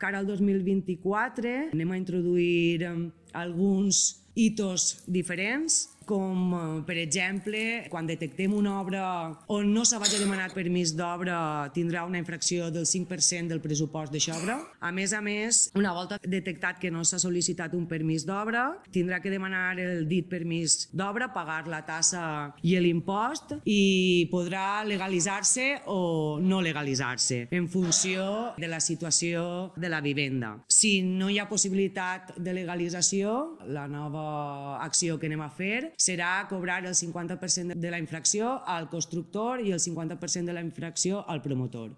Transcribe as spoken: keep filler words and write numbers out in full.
cara al dos mil vint-i-quatre anem a introduir alguns hitos diferents, com per exemple, quan detectem una obra on no se vagi a demanar permís d'obra tindrà una infracció del cinc per cent del pressupost d'aquesta obra. A més a més, una volta detectat que no s'ha sol·licitat un permís d'obra, tindrà que demanar el dit permís d'obra, pagar la tassa i l'impost i podrà legalitzar-se o no legalitzar-se en funció de la situació de la vivenda. Si no hi ha possibilitat de legalització, la nova acció que anem a fer serà cobrar el cinquanta per cent de la infracció al constructor i el cinquanta per cent de la infracció al promotor.